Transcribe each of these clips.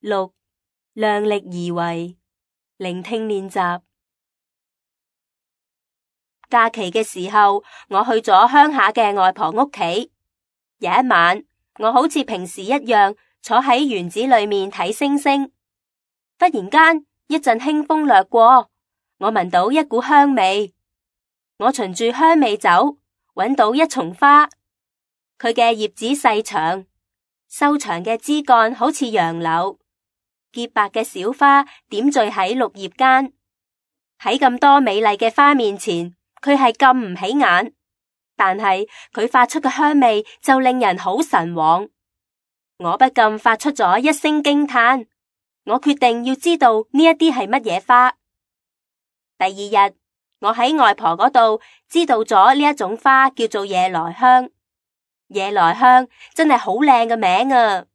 6. 量力而為，聆聽練習。假期嘅時候，我去咗鄉下嘅外婆屋企。有一晚，我好似平時一樣坐喺園子裏面睇星星。忽然間，一陣輕風掠過，我聞到一股香味。我循住香味走，搵到一叢花，佢嘅葉子細長，修長嘅枝幹好似楊柳，潔白嘅小花點綴喺綠葉間。喺咁多美麗嘅花面前，佢係咁唔起眼，但係佢發出嘅香味就令人好神往。我不禁發出咗一聲驚嘆。我決定要知道呢一啲係乜嘢花。第二日，我喺外婆嗰度知道咗呢一種花叫做夜來香。夜來香真係好靚嘅名啊！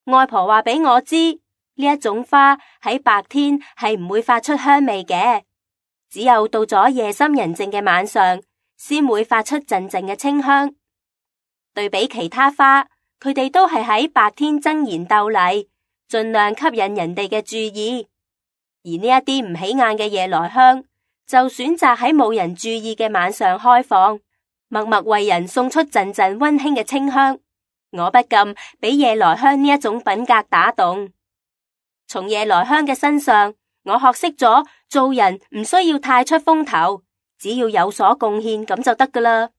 外婆話俾我知，呢一種花喺白天係唔會發出香味嘅，只有到咗夜深人靜嘅晚上，先會發出陣陣嘅清香。對比其他花，佢哋都係喺白天爭妍鬥麗，盡量吸引人哋嘅注意。而呢一啲唔起眼嘅夜來香，就選擇喺冇人注意嘅晚上開放，默默為人送出陣陣溫馨嘅清香。我不禁俾夜來香呢一種品格打動。從夜來香嘅身上，我學識咗做人唔需要太出風頭，只要有所貢獻咁就得㗎喇。